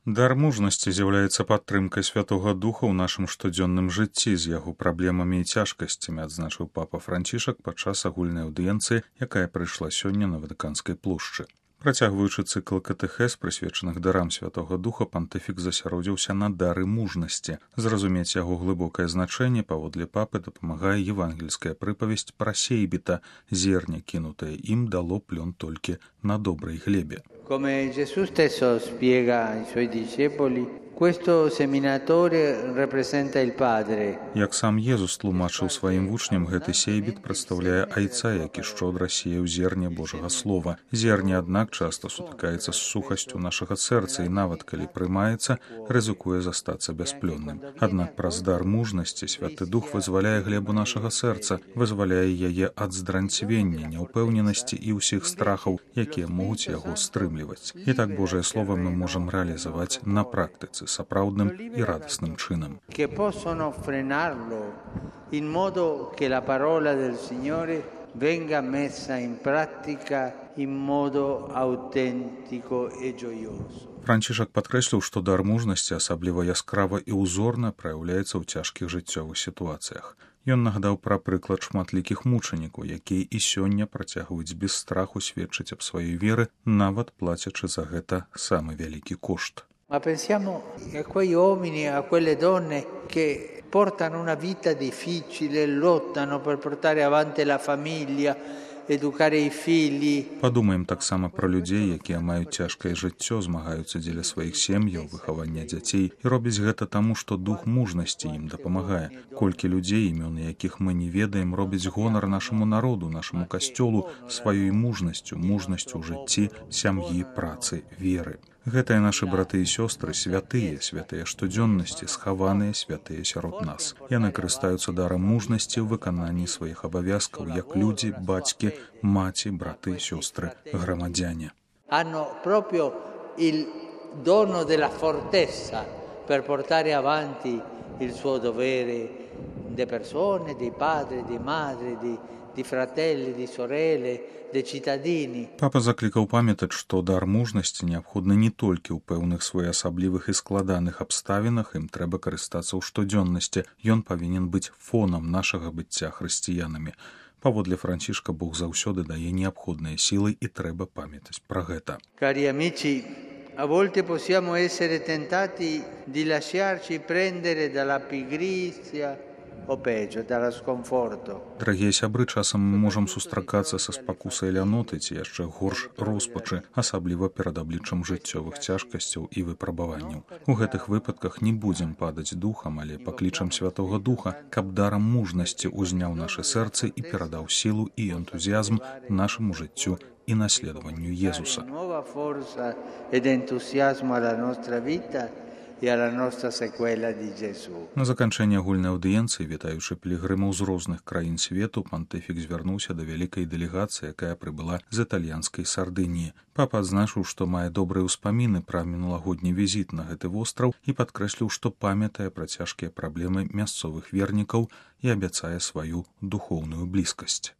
Дар мужнасці з'яўляецца падтрымкай Святога Духа ў нашым штодзённым жыцці з яго праблемамі і цяжкасцямі, адзначыў папа Францішак падчас агульнай аўдыенцыі, якая прыйшла сёння на Ватыканскай плошчы. Працягваючы цыкл катэхез, прысвечаных дарам Святога Духа, пантыфік засяродзіўся на дары мужнасці. Зразумець яго глыбокае значэнне, паводле папы, дапамагае евангельская прыпавесць пра сейбіта. Зерня, кінутае ім, дало плён толькі на добрай глебе. Come Gesù stesso spiega ai suoi discepoli, questo seminatore rappresenta il Padre. Як сам Езус тлумачыў сваім вучням, гэты сейбіт прадстаўляе айца, які шчодра сеяў зерне Божага слова. Зерне, аднак, часта сутыкаецца з сухасцю нашага сэрца і нават калі прымаецца, рызыкуе застацца бясплённым. Аднак праз дар мужнасці Святы Дух вызваляе глебу нашага сэрца, вызваляе яе ад здранцвення, няўпэўненасці і ўсіх страхаў, якія могуць яго стрымліваць. І так Божае Слово мы можам рэалізаваць на практыцы сапраўдным і радасным чынам. Che possono frenarlo in modo che la parola del Signore venga messa in pratica in modo autentico e gioioso. Францішак падкрэсліў, што дар мужнасці асабліва яскрава і ўзорна праяўляецца ў цяжкіх жыццёвых сітуацыях. Ён нагадаў пра прыклад шматлікіх мучанікаў, якія і сёння працягваюць без страху сведчыць аб сваёй веры, нават плацячы за гэта самы вялікі кошт. Ma pensiamo a quei uomini, a quelle donne che portano una vita difficile, lottano per portare avanti la famiglia, educare i figli. Падумаем таксама пра людзей, якія маюць цяжкае жыццё, змагаюцца дзеля сваіх сем'яў, выхавання дзяцей і робяць гэта таму, што дух мужнасці ім дапамагае. Колькі людзей, імёны якіх мы не ведаем, робяць гонар нашаму народу, нашаму касцёлу сваёй мужнасцю ў жыцці, сям'і, працы, веры. Гэтыя нашы браты і сёстры святыя, святыя штодзённасці, схаваныя святыя сярод нас. Яны карыстаюцца дарам мужнасці ў выкананні сваіх абавязкаў, як людзі, бацькі, маці, браты, сёстры, грамадзяне. Hanno proprio il dono della fortezza per portare avanti il suo dovere de persone, dei padri, dei madri, di fratelli, di sorelle, dei cittadini. Папа заклікаў памятаць, што дар мужнасці неабходны не толькі ў пэўных своеасаблівых і складаных абставінах, ім трэба карыстацца ў штодзённасці. Ён павінен быць фонам нашага быцця хрысціянамі. Паводле Францішка Бог заўсёды дае неабходныя сілы і трэба памятаць пра гэта. Cari amici, a volte possiamo essere tentati di lasciarci prendere dalla pigrizia o peggio, dallo sconforto. Дарагія сябры, часам мы можам сустракацца са спакусай ляноты ці яшчэ горш роспачы, асабліва перад абліччам жыццёвых цяжкасцяў і выпрабаванняў. У гэтых выпадках не будзем падаць духам, але паклічам Святога Духа, каб дарам мужнасці узняў нашы сэрцы і перадаў сілу і энтузіязм нашаму жыццю і наследаванню Езуса. Nuova forza ed entusiasmo alla nostra vita e alla nostra sequela di Gesù. На заканчэнне агульнай аўдыенцыі, вітаючы пілігрымаў з розных краін свету, пантыфік звярнуўся да вялікай дэлегацыі, якая прыбыла з італьянскай Сардыніі. Папа адзначыў, што мае добрыя ўспаміны пра мінулагодні візіт на гэты востраў і падкрэсліў, што памятае пра цяжкія праблемы мясцовых вернікаў і абяцае сваю духоўную блізкасць.